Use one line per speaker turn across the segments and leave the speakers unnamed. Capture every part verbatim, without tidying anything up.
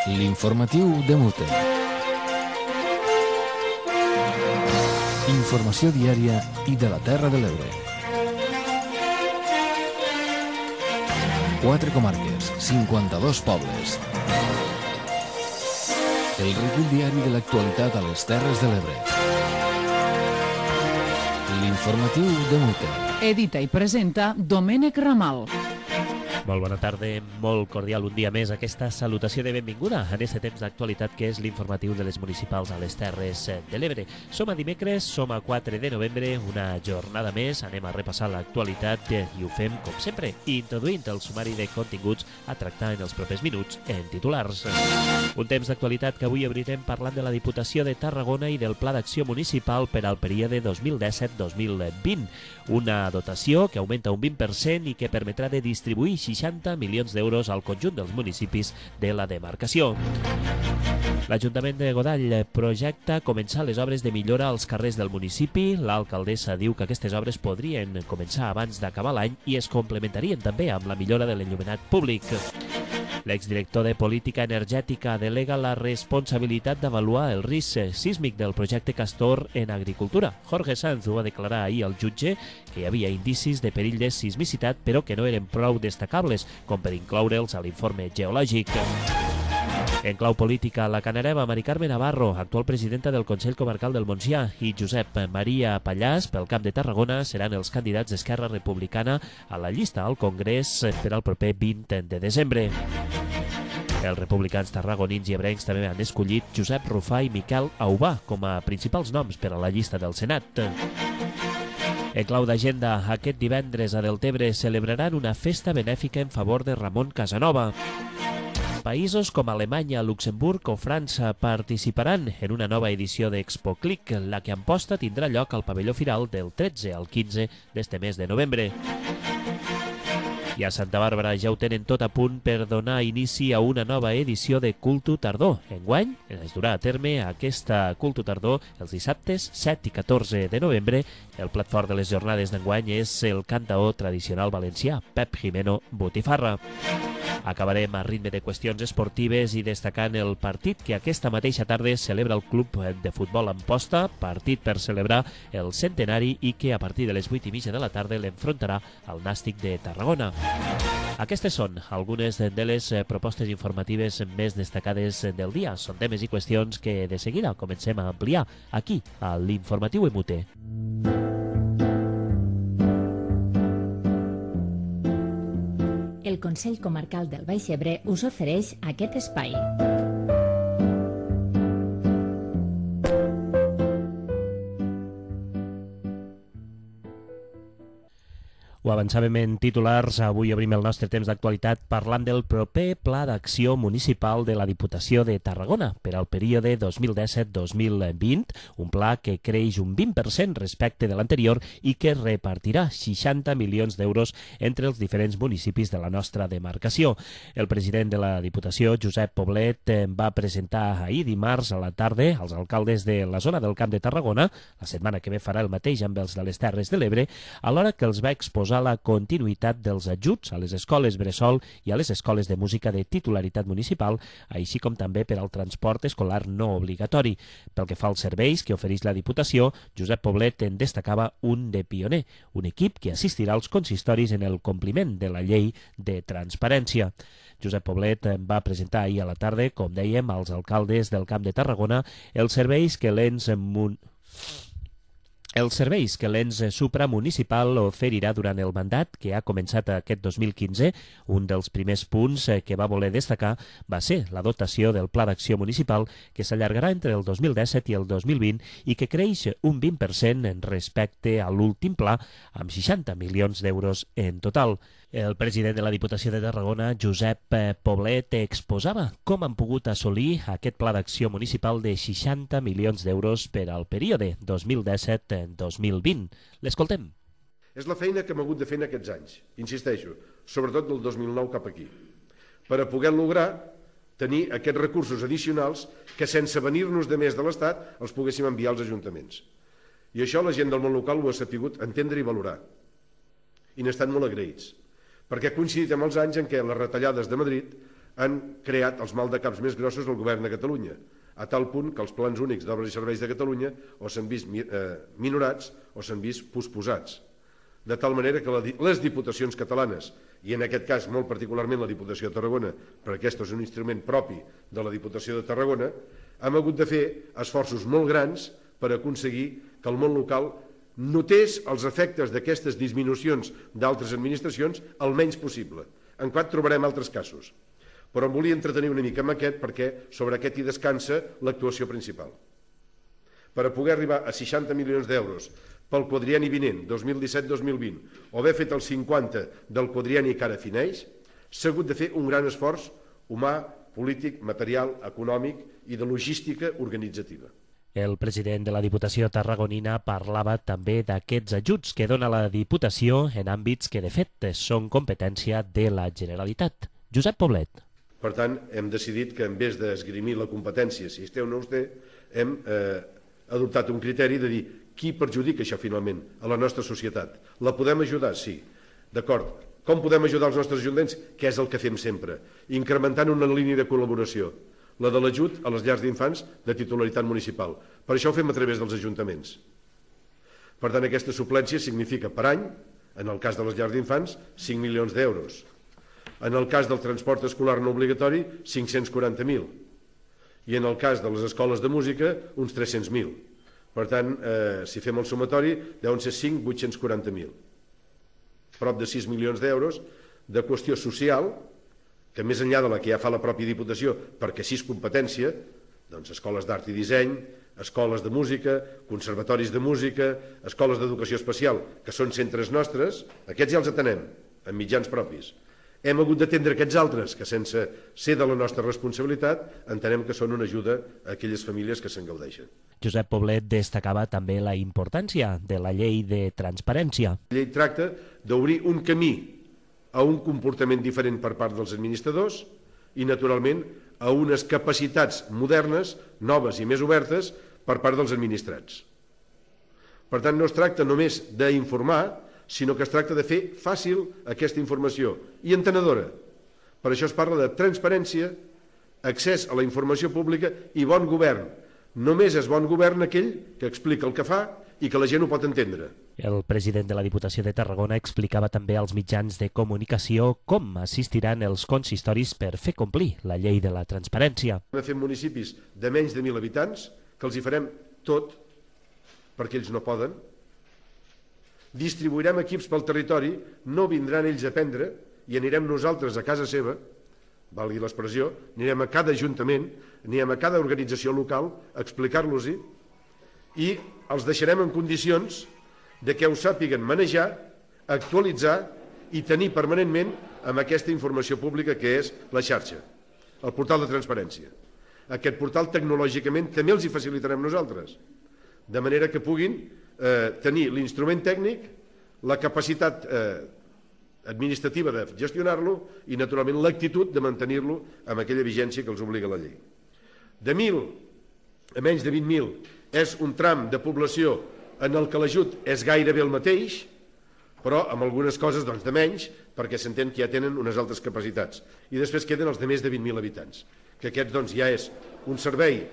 L'informatiu de Mute. Informació diària i de la Terra de l'Ebre. Quatre comarques, cinquanta-dos pobles. El recull diari de l'actualitat a les Terres de l'Ebre. L'informatiu de Mute.
Edita i presenta Domènec Ramal.
Molt bona tarda, molt cordial un dia més aquesta salutació de benvinguda en aquest temps d'actualitat que és l'informatiu de les municipals a les Terres de l'Ebre. Som a dimecres, som a quatre de novembre, una jornada més, anem a repassar l'actualitat i ho fem, com sempre, introduint el sumari de continguts a tractar en els propers minuts en titulars. Un temps d'actualitat que avui obrirem parlant de la Diputació de Tarragona i del Pla d'Acció Municipal per al període dos mil disset dos mil vint, una dotació que augmenta un vint per cent i que permetrà de distribuir seixanta milions d'euros al conjunt dels municipis de la demarcació. L'Ajuntament de Godall projecta començar les obres de millora als carrers del municipi. L'alcaldessa diu que aquestes obres podrien començar abans d'acabar l'any i es complementarien també amb la millora de l'enllumenat públic. L'exdirector de Política Energètica delega la responsabilitat d'avaluar el risc sísmic del projecte Castor en agricultura. Jorge Sanz ho va declarar ahir al jutge que hi havia indicis de perill de sismicitat però que no eren prou destacables com per incloure'ls a l'informe geològic. En clau política, la canareva Mari Carme Navarro, actual presidenta del Consell Comarcal del Montsià, i Josep Maria Pallàs, pel Camp de Tarragona, seran els candidats d'Esquerra Republicana a la llista al Congrés per al proper vint de desembre. Els republicans tarragonins i ebrencs també han escollit Josep Rufà i Miquel Aubà com a principals noms per a la llista del Senat. En clau d'agenda, aquest divendres a Deltebre celebraran una festa benèfica en favor de Ramon Casanova. Països com Alemanya, Luxemburg o França participaran en una nova edició d'Expo Click, la que Amposta tindrà lloc al pavelló Firal del tretze al quinze d'este mes de novembre. I a Santa Bàrbara ja ho tenen tot a punt per donar inici a una nova edició de Cultu Tardor. Enguany es durà a terme aquesta Cultu Tardor els dissabtes set i catorze de novembre. El plat fort de les jornades d'enguany és el cantaor tradicional valencià, Pep Jimeno Botifarra. Acabarem a ritme de qüestions esportives i destacant el partit que aquesta mateixa tarda celebra el Club de Futbol Amposta, partit per celebrar el centenari i que a partir de les vuit i mitja de la tarda l'enfrontarà al Nàstic de Tarragona. Aquestes són algunes de les propostes informatives més destacades del dia. Són temes i qüestions que de seguida comencem a ampliar aquí, a l'Informatiu M U T.
El Consell Comarcal del Baix Ebre us ofereix aquest espai.
Ho avançàvem en titulars, avui obrim el nostre temps d'actualitat parlant del proper Pla d'Acció Municipal de la Diputació de Tarragona per al període dos mil disset dos mil vint, un pla que creix un vint per cent respecte de l'anterior i que repartirà seixanta milions d'euros entre els diferents municipis de la nostra demarcació. El president de la Diputació, Josep Poblet, va presentar ahir dimarts a la tarda als alcaldes de la zona del Camp de Tarragona, la setmana que ve farà el mateix amb els de les Terres de l'Ebre, alhora que els va exposar la continuïtat dels ajuts a les escoles bressol i a les escoles de música de titularitat municipal, així com també per al transport escolar no obligatori. Pel que fa als serveis que ofereix la Diputació, Josep Poblet en destacava un de pioner, un equip que assistirà als consistoris en el compliment de la llei de transparència. Josep Poblet va presentar ahir a la tarda, com dèiem, als alcaldes del Camp de Tarragona els serveis que l'ens mun... Els serveis que l'ens supramunicipal oferirà durant el mandat que ha començat aquest dos mil quinze, un dels primers punts que va voler destacar va ser la dotació del Pla d'Acció Municipal que s'allargarà entre el dos mil disset i el dos mil vint i que creix un vint per cent respecte a l'últim pla amb seixanta milions d'euros en total. El president de la Diputació de Tarragona, Josep Poblet, exposava com han pogut assolir aquest Pla d'Acció Municipal de seixanta milions d'euros per al període dos mil disset dos mil vint. L'escoltem.
És la feina que hem hagut de fer en aquests anys, insisteixo, sobretot del dos mil nou cap aquí, per a poder lograr tenir aquests recursos addicionals que sense venir-nos de més de l'Estat els poguéssim enviar als ajuntaments. I això la gent del món local ho ha sabut entendre i valorar. I n'estan molt agraïts, perquè ha coincidit amb els anys en què les retallades de Madrid han creat els maldecaps més grossos del govern de Catalunya, a tal punt que els plans únics d'obres i serveis de Catalunya o s'han vist minorats o s'han vist posposats. De tal manera que les diputacions catalanes, i en aquest cas molt particularment la Diputació de Tarragona, perquè aquest és un instrument propi de la Diputació de Tarragona, hem hagut de fer esforços molt grans per aconseguir que el món local notés els efectes d'aquestes disminucions d'altres administracions el menys possible. En quant trobarem altres casos. Però em volia entretenir una mica amb aquest perquè sobre aquest hi descansa l'actuació principal. Per a poder arribar a seixanta milions d'euros pel quadrienni vinent, dos mil disset dos mil vint, o haver fet el cinquanta del quadrienni que ara fineix, s'ha hagut de fer un gran esforç humà, polític, material, econòmic i de logística organitzativa.
El president de la Diputació tarragonina parlava també d'aquests ajuts que dona la Diputació en àmbits que de fet són competència de la Generalitat. Josep Poblet.
Per tant, hem decidit que en vez d'esgrimir la competència, si es té o no es té, hem eh, adoptat un criteri de dir qui perjudica això finalment a la nostra societat. La podem ajudar? Sí. D'acord. Com podem ajudar els nostres ajuntaments? Què és el que fem sempre? Incrementant una línia de col·laboració, la de l'ajut a les llars d'infants de titularitat municipal. Per això ho fem a través dels ajuntaments. Per tant, aquesta suplència significa per any, en el cas de les llars d'infants, cinc milions d'euros. En el cas del transport escolar no obligatori, cinc-cents quaranta mil. I en el cas de les escoles de música, uns tres-cents mil. Per tant, eh, si fem el sumatori, deuen ser cinc mil vuit-cents quaranta mil. Prop de sis milions d'euros de qüestió social, que més enllà de la que ja fa la pròpia Diputació, perquè sí és competència, doncs escoles d'art i disseny, escoles de música, conservatoris de música, escoles d'educació especial, que són centres nostres, aquests ja els atenem, amb mitjans propis. Hem hagut d'atendre aquests altres, que sense ser de la nostra responsabilitat, entenem que són una ajuda a aquelles famílies que se'n gaudeixen.
Josep Poblet destacava també la importància de la llei de transparència.
La llei tracta d'obrir un camí a un comportament diferent per part dels administradors i, naturalment, a unes capacitats modernes, noves i més obertes per part dels administrats. Per tant, no es tracta només d'informar, sinó que es tracta de fer fàcil aquesta informació i entenedora. Per això es parla de transparència, accés a la informació pública i bon govern. Només és bon govern aquell que explica el que fa i que la gent ho pot entendre.
El president de la Diputació de Tarragona explicava també als mitjans de comunicació com assistiran els consistoris per fer complir la llei de la transparència.
Hem fet municipis de menys de mil habitants, que els hi farem tot, perquè ells no poden. Distribuirem equips pel territori, no vindran ells a prendre i anirem nosaltres a casa seva, valgui l'expressió, anirem a cada ajuntament, anirem a cada organització local a explicar-los-hi i els deixarem en condicions de que ho sàpiguen manejar, actualitzar i tenir permanentment amb aquesta informació pública que és la xarxa, el portal de transparència. Aquest portal tecnològicament també els hi facilitarem nosaltres, de manera que puguin eh, tenir l'instrument tècnic, la capacitat eh, administrativa de gestionar-lo i, naturalment, l'actitud de mantenir-lo amb aquella vigència que els obliga la llei. De mil a menys de vint mil és un tram de població en el que l'ajut és gairebé el mateix, però amb algunes coses doncs, de menys, perquè s'entén que ja tenen unes altres capacitats. I després queden els de més de vint mil habitants, que aquests doncs, ja és un servei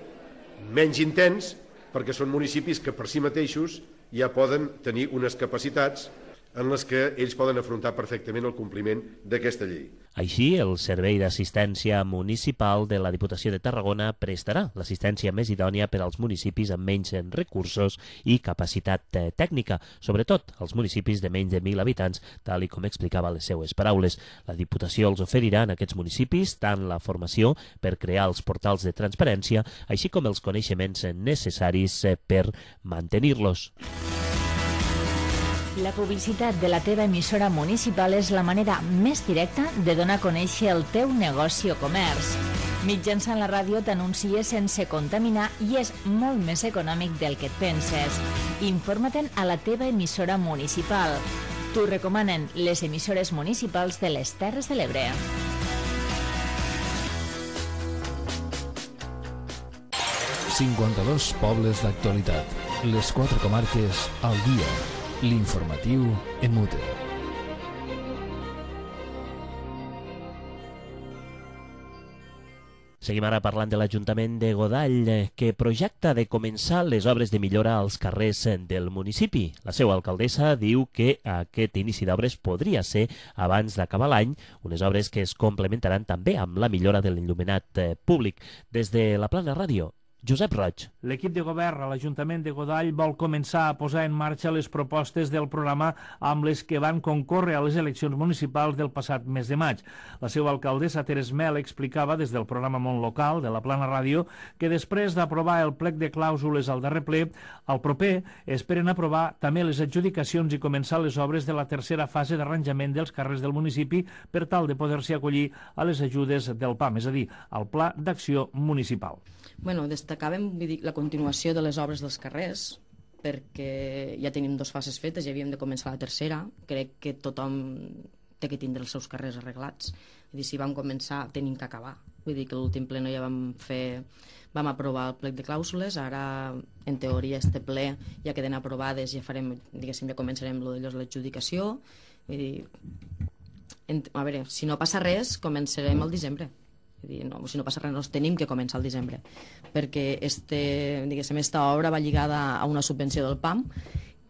menys intens, perquè són municipis que per si mateixos ja poden tenir unes capacitats en les que ells poden afrontar perfectament el compliment d'aquesta llei.
Així, el Servei d'Assistència Municipal de la Diputació de Tarragona prestarà l'assistència més idònia per als municipis amb menys recursos i capacitat tècnica, sobretot als municipis de menys de mil habitants, tal i com explicava les seues paraules. La Diputació els oferirà en aquests municipis tant la formació per crear els portals de transparència, així com els coneixements necessaris per mantenir-los.
La publicitat de la teva emissora municipal és la manera més directa de donar a conèixer el teu negoci o comerç. Mitjançant la ràdio t'anuncies sense contaminar i és molt més econòmic del que et penses. Informa-te'n a la teva emissora municipal. T'ho recomanen les emissores municipals de les Terres de l'Ebre.
cinquanta-dos pobles d'actualitat. Les quatre comarques al dia. L'informatiu en mute.
Seguim ara parlant de l'Ajuntament de Godall, que projecta de començar les obres de millora als carrers del municipi. La seva alcaldessa diu que aquest inici d'obres podria ser abans d'acabar l'any, unes obres que es complementaran també amb la millora de l'enllumenat públic. Des de la Plana Ràdio, Josep Roig.
L'equip de govern a l'Ajuntament de Godall vol començar a posar en marxa les propostes del programa amb les que van concórrer a les eleccions municipals del passat mes de maig. La seva alcaldessa Teres Mel explicava des del programa Món Local de la Plana Ràdio que després d'aprovar el plec de clàusules al darrer ple, al proper esperen aprovar també les adjudicacions i començar les obres de la tercera fase d'arranjament dels carrers del municipi per tal de poder-s'hi acollir a les ajudes del P A M, és a dir, al Pla d'Acció Municipal.
Bueno, destacàvem vull dir, la continuació de les obres dels carrers, perquè ja tenim dues fases fetes i havíem de començar la tercera. Crec que tothom té que tindre els seus carrers arreglats. Vull dir, si vam començar, tenim que acabar. Vull dir que l'últim ple no ja vam fer... Vam aprovar el plec de clàusules, ara, en teoria, este ple ja queden aprovades, ja farem, diguéssim, ja començarem lo de l'adjudicació. Vull dir, en, a veure, si no passa res, començarem al desembre. Dir, no, si no passa res, no tenim que començar al desembre, perquè este, diguéssim, esta obra va lligada a una subvenció del P A M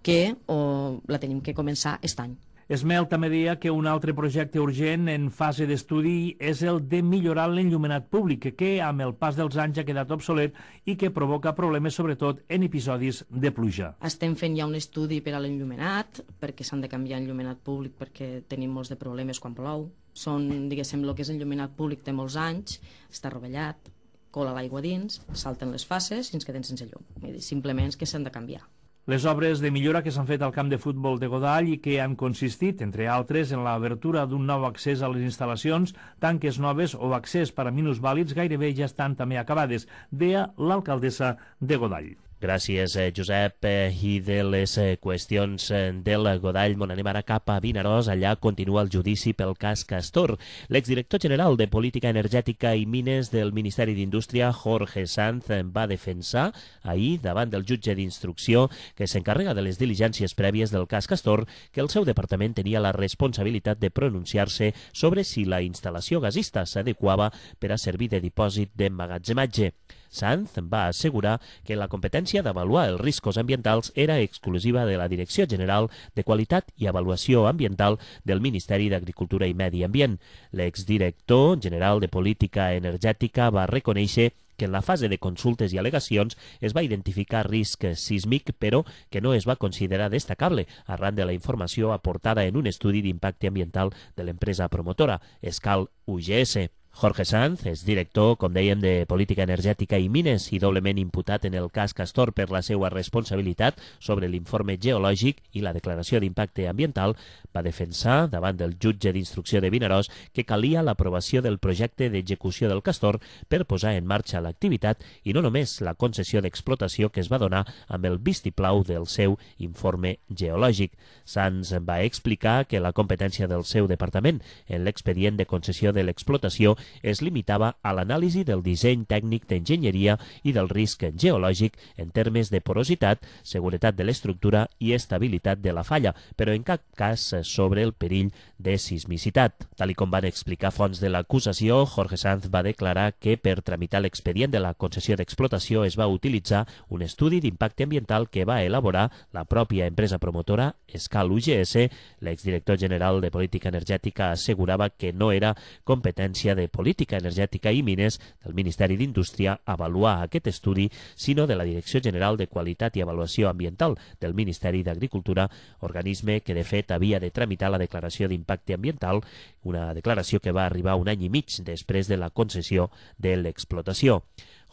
que o, la tenim que començar aquest any.
Esmel també deia que un altre projecte urgent en fase d'estudi és el de millorar l'enllumenat públic, que amb el pas dels anys ha quedat obsolet i que provoca problemes sobretot en episodis de pluja.
Estem fent ja un estudi per a l'enllumenat, perquè s'han de canviar enllumenat públic perquè tenim molts de problemes quan plou. Són, diguéssim, el que és enllumenat públic té molts anys, està rovellat, cola l'aigua dins, salten les fases i ens quedem sense llum. Simplement és que s'han de canviar.
Les obres de millora que s'han fet al camp de futbol de Godall i que han consistit, entre altres, en l'obertura d'un nou accés a les instal·lacions, tanques noves o accés per a minusvàlids, gairebé ja estan també acabades, deia l'alcaldessa de Godall.
Gràcies, Josep. I de les qüestions del Godall, on anem ara cap a Vinaròs, allà continua el judici pel cas Castor. L'exdirector general de Política Energètica i Mines del Ministeri d'Indústria, Jorge Sanz, va defensar ahir davant del jutge d'instrucció que s'encarrega de les diligències prèvies del cas Castor que el seu departament tenia la responsabilitat de pronunciar-se sobre si la instal·lació gasista s'adequava per a servir de dipòsit d'emmagatzematge. Sanz va assegurar que la competència d'avaluar els riscos ambientals era exclusiva de la Direcció General de Qualitat i Avaluació Ambiental del Ministeri d'Agricultura i Medi Ambient. L'exdirector general de Política Energètica va reconèixer que en la fase de consultes i al·legacions es va identificar risc sísmic, però que no es va considerar destacable arran de la informació aportada en un estudi d'impacte ambiental de l'empresa promotora, Escal U G S. Jorge Sanz és director, com dèiem, de Política Energètica i Mines i doblement imputat en el cas Castor per la seva responsabilitat sobre l'informe geològic i la declaració d'impacte ambiental, va defensar davant del jutge d'instrucció de Vinaròs que calia l'aprovació del projecte d'execució del Castor per posar en marxa l'activitat i no només la concessió d'explotació que es va donar amb el vistiplau del seu informe geològic. Sanz va explicar que la competència del seu departament en l'expedient de concessió de l'explotació es limitava a l'anàlisi del disseny tècnic d'enginyeria i del risc geològic en termes de porositat, seguretat de l'estructura i estabilitat de la falla, però en cap cas sobre el perill de sismicitat. Tal com van explicar fonts de l'acusació, Jorge Sanz va declarar que per tramitar l'expedient de la concessió d'explotació es va utilitzar un estudi d'impacte ambiental que va elaborar la pròpia empresa promotora Escal U G S. L'exdirector general de Política Energètica assegurava que no era competència de Política Energètica i Mines del Ministeri d'Indústria avaluar aquest estudi, sinó de la Direcció General de Qualitat i Avaluació Ambiental del Ministeri d'Agricultura, organisme que de fet havia de tramitar la declaració d'impacte ambiental, una declaració que va arribar un any i mig després de la concessió de l'explotació.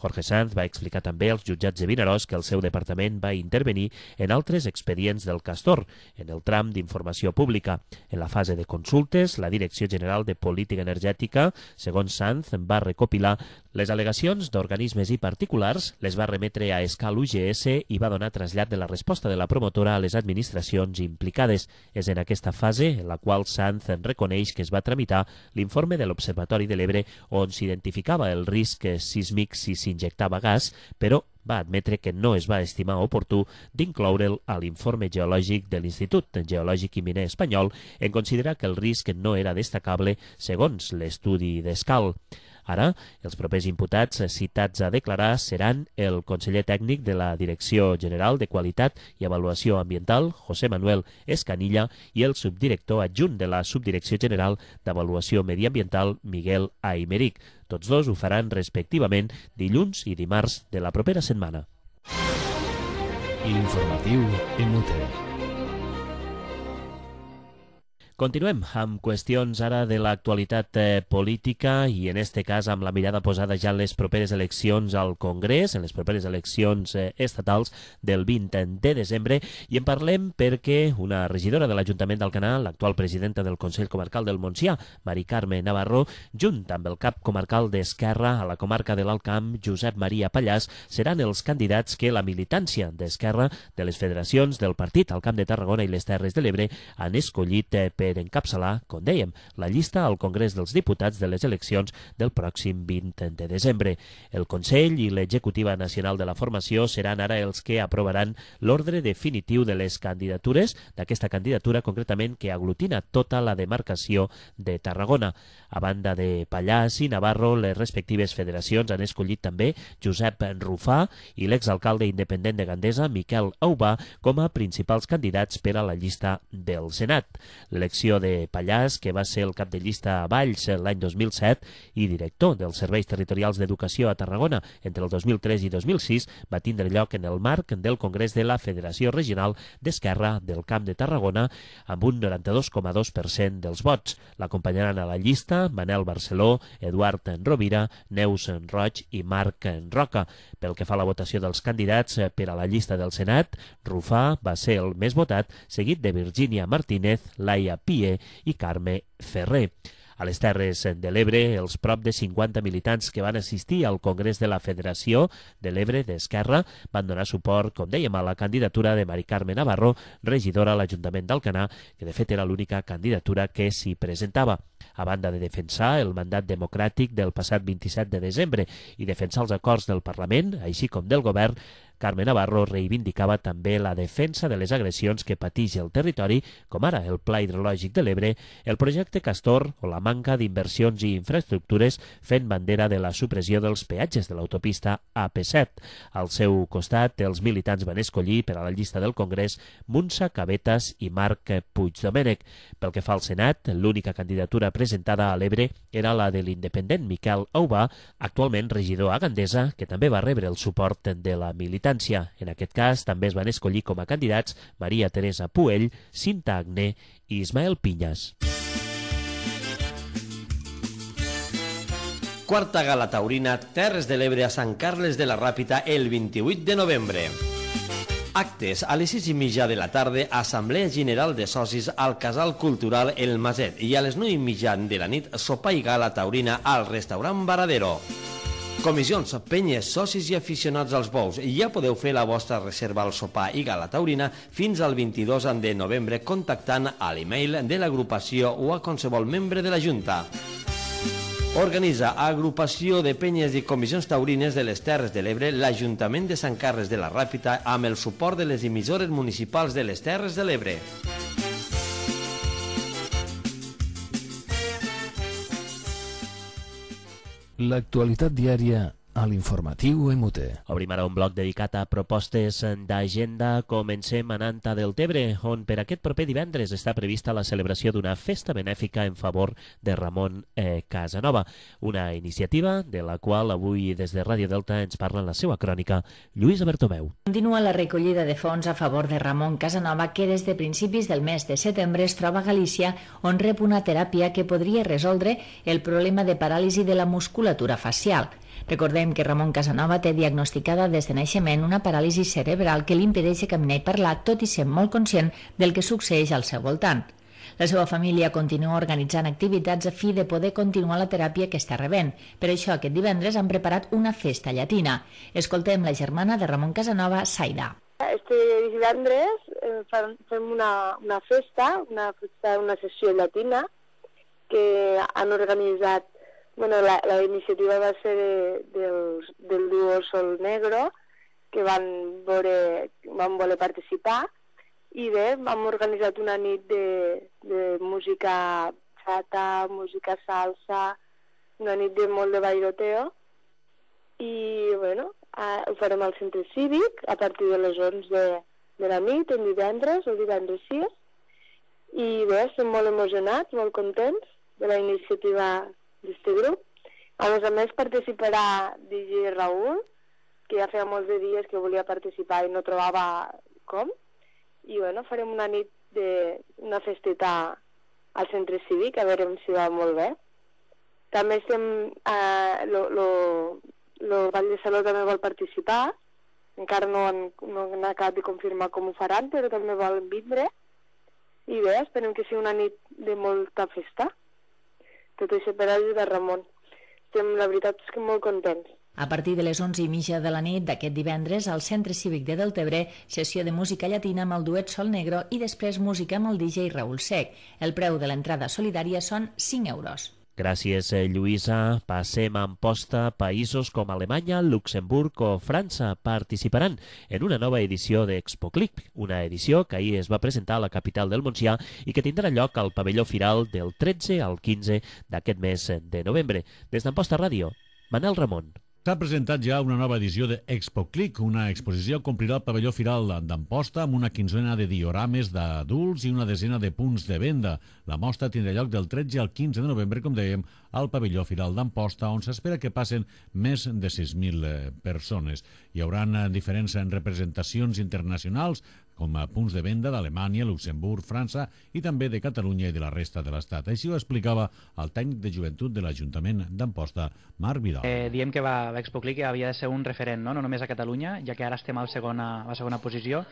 Jorge Sanz va explicar també als jutjats de Vinaròs que el seu departament va intervenir en altres expedients del Castor, en el tram d'informació pública. En la fase de consultes, la Direcció General de Política Energètica, segons Sanz, va recopilar les al·legacions d'organismes i particulars, les va remetre a Escal U G S i va donar trasllat de la resposta de la promotora a les administracions implicades. És en aquesta fase en la qual Sanz reconeix que es va tramitar l'informe de l'Observatori de l'Ebre on s'identificava el risc sísmic si s'injectava gas, però va admetre que no es va estimar oportú d'incloure'l a l'informe geològic de l'Institut Geològic i Miner Espanyol en considerar que el risc no era destacable segons l'estudi d'Escal. Ara, els propers imputats citats a declarar seran el conseller tècnic de la Direcció General de Qualitat i Avaluació Ambiental, José Manuel Escanilla, i el subdirector adjunt de la Subdirecció General d'Avaluació Mediambiental, Miguel Aymeric. Tots dos ho faran respectivament dilluns i dimarts de la propera setmana.
L'informatiu M T.
Continuem amb qüestions ara de l'actualitat eh, política i en este cas amb la mirada posada ja en les properes eleccions al Congrés, en les properes eleccions eh, estatals del vint de desembre, i en parlem perquè una regidora de l'Ajuntament d'Alcanar, l'actual presidenta del Consell Comarcal del Montsià, Mari Carme Navarro, junt amb el cap comarcal d'Esquerra a la comarca de l'Alt Camp, Josep Maria Pallàs, seran els candidats que la militància d'Esquerra de les federacions del partit al Camp de Tarragona i les Terres de l'Ebre han escollit eh, per encapçalar, com dèiem, la llista al Congrés dels Diputats de les eleccions del pròxim vint de desembre. El Consell i l'Executiva Nacional de la Formació seran ara els que aprovaran l'ordre definitiu de les candidatures, d'aquesta candidatura concretament que aglutina tota la demarcació de Tarragona. A banda de Pallàs i Navarro, les respectives federacions han escollit també Josep Rufà i l'exalcalde independent de Gandesa, Miquel Aubà, com a principals candidats per a la llista del Senat. L'elecció de Pallàs, que va ser el cap de llista a Valls l'any dos mil set i director dels Serveis Territorials d'Educació a Tarragona entre el dos mil tres i dos mil sis, va tindre lloc en el marc del Congrés de la Federació Regional d'Esquerra del Camp de Tarragona amb un noranta-dos coma dos per cent dels vots. L'acompanyaran a la llista Manel Barceló, Eduard Rovira, Neus Roig i Marc Roca. Pel que fa a la votació dels candidats per a la llista del Senat, Rufà va ser el més votat, seguit de Virgínia Martínez, Laia Pie i Carme Ferrer. A les Terres de l'Ebre, els prop de cinquanta militants que van assistir al Congrés de la Federació de l'Ebre d'Esquerra van donar suport, com dèiem, a la candidatura de Mari Carme Navarro, regidora a l'Ajuntament d'Alcanar, que de fet era l'única candidatura que s'hi presentava. A banda de defensar el mandat democràtic del passat vint-i-set de desembre i defensar els acords del Parlament, així com del Govern, Carme Navarro reivindicava també la defensa de les agressions que pateix el territori, com ara el Pla Hidrològic de l'Ebre, el projecte Castor o la manca d'inversions i infraestructures, fent bandera de la supressió dels peatges de l'autopista A P set. Al seu costat, els militants van escollir per a la llista del Congrés Muntsa Cabetas i Marc Puigdomènech. Pel que fa al Senat, l'única candidatura presentada a l'Ebre era la de l'independent Miquel Aubà, actualment regidor a Gandesa, que també va rebre el suport de la militància. En aquest cas, també es van escollir com a candidats Maria Teresa Puell, Cinta Agné i Ismael Pinyas.
Quarta gala taurina Terres de l'Ebre a Sant Carles de la Ràpita el vint-i-vuit de novembre. Actes a les sis i mitja de la tarda, Assemblea General de Socis al Casal Cultural El Maset i a les nou i mitja de la nit, sopar i gala taurina al restaurant Varadero. Comissions, penyes, socis i aficionats als bous. Ja podeu fer la vostra reserva al sopar i gala taurina fins al vint-i-dos de novembre contactant a l'email de l'agrupació o a qualsevol membre de la Junta. Organitza Agrupació de Penyes i Comissions Taurines de les Terres de l'Ebre l'Ajuntament de Sant Carles de la Ràpita amb el suport de les emissores municipals de les Terres de l'Ebre.
L'actualitat diària a l'informatiu M T.
Obrim ara un bloc dedicat a propostes d'agenda. Comencem a Nanta del Tebre, on per aquest proper divendres està prevista la celebració d'una festa benèfica en favor de Ramon eh, Casanova, una iniciativa de la qual avui des de Ràdio Delta ens parla en la seva crònica Lluïsa Bertomeu.
Continua la recollida de fons a favor de Ramon Casanova, que des de principis del mes de setembre es troba a Galícia, on rep una teràpia que podria resoldre el problema de paràlisi de la musculatura facial. Recordem que Ramon Casanova té diagnosticada des de naixement una paràlisi cerebral que li impedeix caminar i parlar, tot i ser molt conscient del que succeeix al seu voltant. La seva família continua organitzant activitats a fi de poder continuar la teràpia que està rebent. Per això, aquest divendres han preparat una festa llatina. Escoltem la germana de Ramon Casanova, Saida.
Este divendres eh, fem una, una festa, una festa, una sessió llatina que han organitzat. Bueno, la, la iniciativa va ser de, del, del duo Sol Negro, que van, veure, van voler participar, i bé, vam organitzat una nit de, de música bachata, música salsa, una nit de molt de bailoteo, i bueno, eh, ho farem al centre cívic a partir de les onze de, de la nit, el divendres, el divendres sis, i bé, estem molt emocionats, molt contents de la iniciativa d'aquest grup. A més a més participarà D J Raül, que ja feia molts de dies que volia participar i no trobava com, i bueno, farem una nit de una festeta al centre cívic, a veure si va molt bé. També estem, eh, lo, lo, lo Vall de Saló també vol participar, encara no han, no han acabat de confirmar com ho faran, però també volen vindre, i bé, esperem que sigui una nit de molta festa. Tot això per ajudar Ramon. Estem, la veritat és que molt contents.
A partir de les onze i mitja de la nit d'aquest divendres, al Centre Cívic de Deltebre, sessió de música llatina amb el duet Sol Negro i després música amb el D J Raül Sec. El preu de l'entrada solidària són cinc euros.
Gràcies, Lluïsa. Passem a Amposta. Països com Alemanya, Luxemburg o França participaran en una nova edició d'ExpoClick, una edició que ahir es va presentar a la capital del Montsià i que tindrà lloc al pavelló Firal del tretze al quinze d'aquest mes de novembre. Des d'Amposta Ràdio, Manel Ramon.
S'ha presentat ja una nova edició d'ExpoClick, una exposició que omplirà el pavelló Firal d'Amposta amb una quinzena de diorames d'adults i una desena de punts de venda. La mostra tindrà lloc del tretze al quinze de novembre, com dèiem, al pavelló Firal d'Amposta, on s'espera que passen més de sis mil persones. Hi haurà diferents representacions internacionals, com a punts de venda d'Alemanya, Luxemburg, França i també de Catalunya i de la resta de l'Estat. Així ho explicava el tècnic de joventut de l'Ajuntament d'Amposta, Marc Vidal.
Eh, diem que va, l'ExpoClick havia de ser un referent, no? no només a Catalunya, ja que ara estem a la segona, a la segona posició.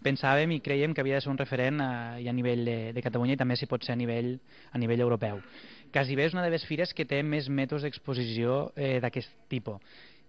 Pensàvem i creiem que havia de ser un referent a, a nivell de, de Catalunya i també si pot ser a nivell, a nivell europeu. Quasi bé és una de les fires que té més mètodes d'exposició eh, d'aquest tipus.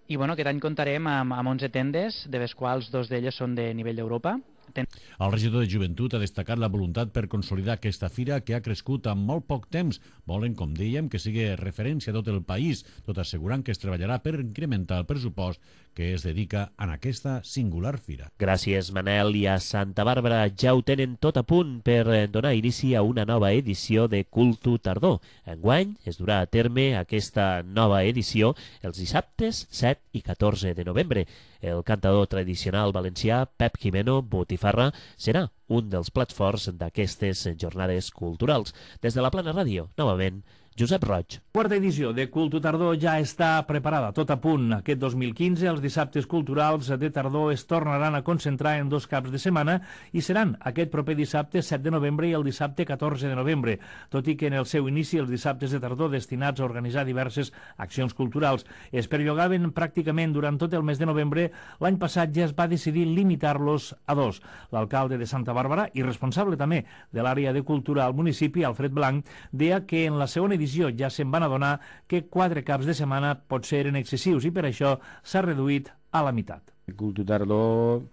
I bueno, aquest any comptarem amb, amb onze tendes, de les quals dos d'elles són de nivell d'Europa. Ten...
El regidor de Joventut ha destacat la voluntat per consolidar aquesta fira que ha crescut en molt poc temps. Volen, com dèiem, que sigui referència a tot el país, tot assegurant que es treballarà per incrementar el pressupost que es dedica a aquesta singular fira.
Gràcies, Manel. I a Santa Bàrbara ja ho tenen tot a punt per donar inici a una nova edició de Cultu Tardor. Enguany es durà a terme aquesta nova edició els dissabtes set i catorze de novembre. El cantador tradicional valencià Pep Jimeno Botifarra serà un dels plats forts d'aquestes jornades culturals. Des de la Plana Ràdio, novament, Josep Roig.
Quarta edició de Cultu Tardor ja està preparada, tot a punt. Aquest dos mil quinze, els dissabtes culturals de tardor es tornaran a concentrar en dos caps de setmana i seran aquest proper dissabte set de novembre i el dissabte catorze de novembre, tot i que en el seu inici els dissabtes de tardor destinats a organitzar diverses accions culturals es perllongaven pràcticament durant tot el mes de novembre. L'any passat ja es va decidir limitar-los a dos. L'alcalde de Santa Bàrbara i responsable també de l'àrea de cultura al municipi, Alfred Blanc, deia que en la segona edició ja se'n van adonar que quatre caps de setmana potser eren excessius i per això s'ha reduït a la meitat.
Cultu Tardor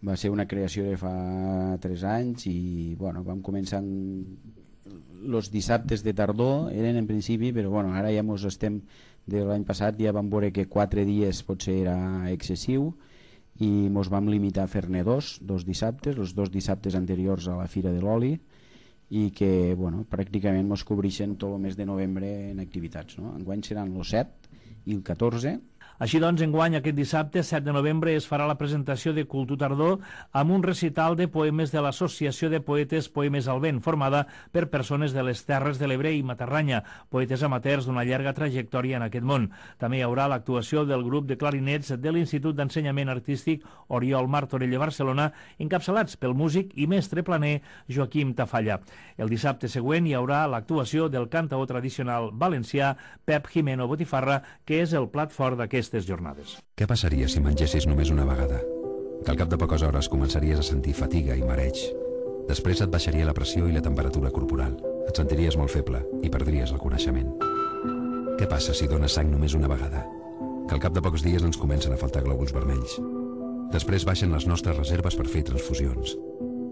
va ser una creació de fa tres anys i bueno, vam començar els dissabtes de tardor, eren en principi, però bueno, ara ja mos estem, de l'any passat ja vam veure que quatre dies potser era excessiu i mos vam limitar a fer-ne dos, dos dissabtes, els dos dissabtes anteriors a la Fira de l'Oli, i que bueno, pràcticament ens cobreixen tot el mes de novembre en activitats. No? Enguany seran el set i el catorze.
Així doncs, enguany, aquest dissabte, set de novembre, es farà la presentació de Cultu Tardor amb un recital de poemes de l'Associació de Poetes Poemes al Vent, formada per persones de les Terres de l'Ebre i Matarranya, poetes amateurs d'una llarga trajectòria en aquest món. També hi haurà l'actuació del grup de clarinets de l'Institut d'Ensenyament Artístic Oriol Martorell de Barcelona, encapçalats pel músic i mestre planer Joaquim Tafalla. El dissabte següent hi haurà l'actuació del cantaor tradicional valencià Pep Jimeno Botifarra, que és el plat fort d'aquest jornades.
Què passaria si mengessis només una vegada? Que al cap de poques hores començaries a sentir fatiga i mareig. Després et baixaria la pressió i la temperatura corporal. Et sentiries molt feble i perdries el coneixement. Què passa si dones sang només una vegada? Que al cap de pocs dies ens comencen a faltar glòbuls vermells. Després baixen les nostres reserves per fer transfusions.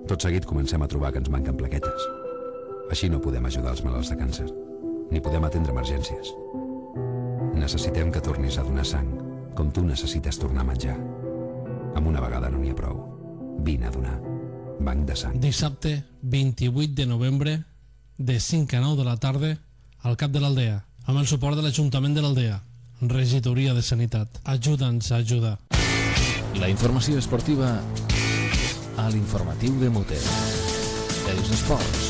Tot seguit comencem a trobar que ens manquen plaquetes. Així no podem ajudar els malalts de càncer, ni podem atendre emergències. Necessitem que tornis a donar sang, com tu necessites tornar a menjar. Amb una vegada no n'hi ha prou. Vine a donar. Banc de sang.
Dissabte, vint-i-vuit de novembre, de cinc a nou de la tarda, al Cap de l'Aldea, amb el suport de l'Ajuntament de l'Aldea. Regidoria de Sanitat. Ajuda'ns a ajudar.
La informació esportiva a l'informatiu de Mute. Els esports.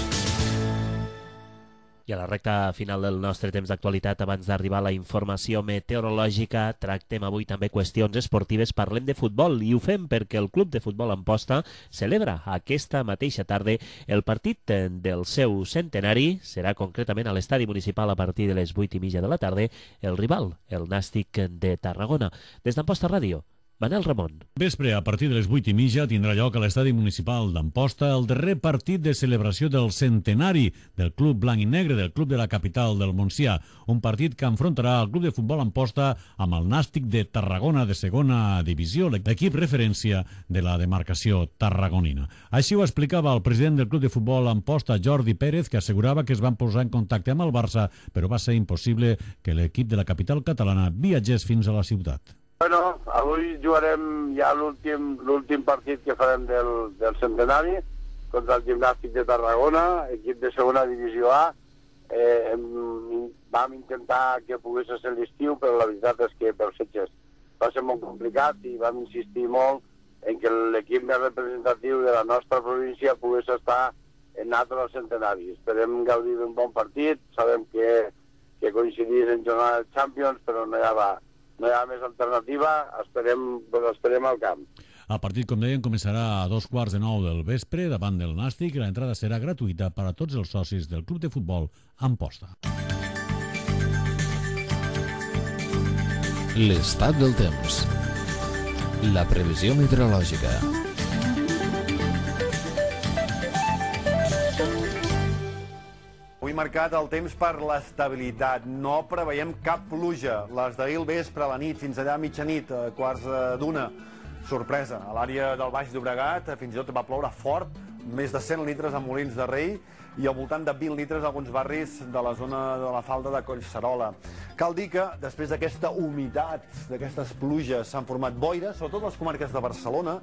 I a la recta final del nostre temps d'actualitat, abans d'arribar a la informació meteorològica, tractem avui també qüestions esportives, parlem de futbol, i ho fem perquè el Club de Futbol Amposta celebra aquesta mateixa tarda el partit del seu centenari. Serà concretament a l'estadi municipal a partir de les vuit i mitja de la tarda, el rival, el Nàstic de Tarragona. Des d'Amposta Ràdio, Manel Ramon.
Vespre, a partir de les vuit i mitja, tindrà lloc a l'estadi municipal d'Amposta el darrer partit de celebració del centenari del Club Blanc i Negre, del club de la capital del Montsià. Un partit que enfrontarà el Club de Futbol Amposta amb el Nàstic de Tarragona de segona divisió, l'equip referència de la demarcació tarragonina. Així ho explicava el president del Club de Futbol Amposta, Jordi Pérez, que assegurava que es van posar en contacte amb el Barça, però va ser impossible que l'equip de la capital catalana viatgés fins a la ciutat.
Bueno, avui jugarem ja l'últim l'últim partit que farem del, del centenari contra el Gimnàstic de Tarragona, equip de segona divisió A. Eh, hem, vam intentar que pogués ser l'estiu, però la veritat és que per fetges va ser molt complicat i vam insistir molt en que l'equip més representatiu de la nostra província pogués estar en altre al centenari. Esperem gaudir d'un bon partit, sabem que, que coincidís en jornada de Champions, però no hi ha No hi ha més alternativa, esperem, doncs esperem al camp.
El partit, com deien, començarà a dos quarts de nou del vespre davant del Nàstic i l'entrada serà gratuïta per a tots els socis del Club de Futbol Amposta.
L'estat del temps. La previsió meteorològica.
Avui marcat el temps per l'estabilitat. No preveiem cap pluja. Les d'ahir al vespre, a la nit, fins allà a mitjanit, a quarts d'una. Sorpresa. A l'àrea del Baix Llobregat fins i tot va ploure fort, més de cent litres a Molins de Rei i al voltant de vint litres a alguns barris de la zona de la falda de Collserola. Cal dir que després d'aquesta humitat, d'aquestes pluges, s'han format boires, sobretot a les comarques de Barcelona,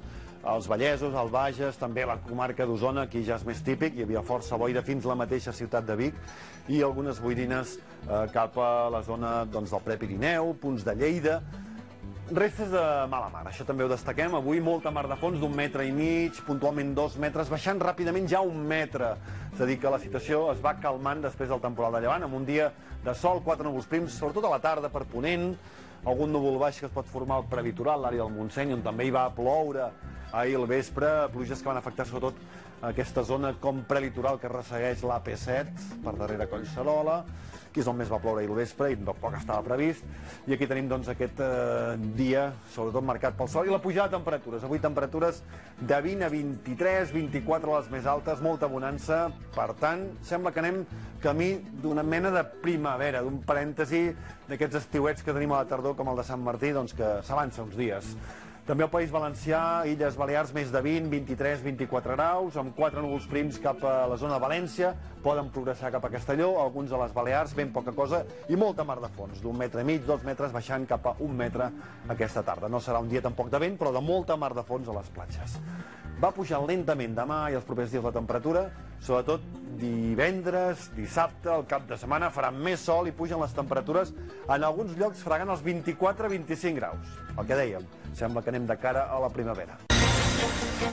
els Vallesos, el Bages, també la comarca d'Osona, aquí ja és més típic, hi havia força boira fins a la mateixa ciutat de Vic, i algunes boirines eh, cap a la zona doncs, del Prepirineu, punts de Lleida. Restes de mala mar, això també ho destaquem. Avui molta mar de fons d'un metre i mig, puntualment dos metres, baixant ràpidament ja un metre. És a dir, que la situació es va calmant després del temporal de llevant, amb un dia de sol, quatre núvols prims, sobretot a la tarda per Ponent, algun núvol baix que es pot formar al prelitoral, l'àrea del Montseny, on també hi va ploure ahir al vespre, pluges que van afectar sobretot aquesta zona com prelitoral que ressegueix l'A P set, per darrere Collserola, que és on més va ploure ahir al vespre i tampoc estava previst. I aquí tenim doncs, aquest eh, dia, sobretot marcat pel sol, i la pujada de temperatures. Avui temperatures de vint a vint-i-tres, vint-i-quatre les més altes, molta bonança. Per tant, sembla que anem camí d'una mena de primavera, d'un parèntesi d'aquests estiuets que tenim a la tardor, com el de Sant Martí, doncs que s'avança uns dies. També al País Valencià, Illes Balears, més de vint, vint-i-tres, vint-i-quatre graus, amb quatre núvols prims cap a la zona de València, poden progressar cap a Castelló, alguns a les Balears, ben poca cosa, i molta mar de fons, d'un metre i mig, dos metres, baixant cap a un metre aquesta tarda. No serà un dia tampoc de vent, però de molta mar de fons a les platges. Va pujar lentament demà i els propers dies la temperatura, sobretot divendres, dissabte, el cap de setmana farà més sol i pugen les temperatures en alguns llocs fregant els vint-i-quatre a vint-i-cinc graus. El que dèiem, sembla que anem de cara a la primavera.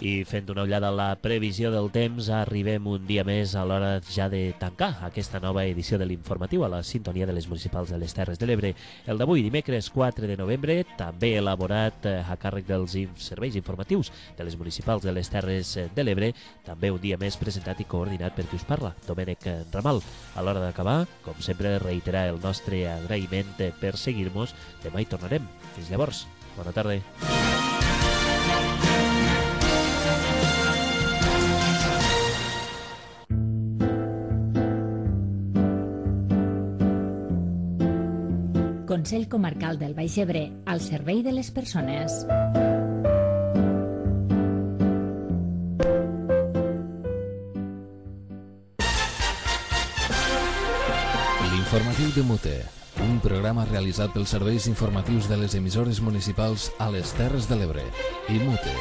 I fent una ullada a la previsió del temps, arribem un dia més a l'hora ja de tancar aquesta nova edició de l'informatiu a la sintonia de les municipals de les Terres de l'Ebre. El d'avui, dimecres quatre de novembre, també elaborat a càrrec dels serveis informatius de les municipals de les Terres de l'Ebre, també un dia més presentat i coordinat per qui us parla, Domènec Ramal. A l'hora d'acabar, com sempre, reiterar el nostre agraïment per seguir-nos. Demà hi tornarem. Fins llavors, bona tarda.
Consell Comarcal del Baix Ebre, al servei de les persones.
L'informatiu de Mute, un programa realitzat pels serveis informatius de les emissores municipals a les Terres de l'Ebre i Mute.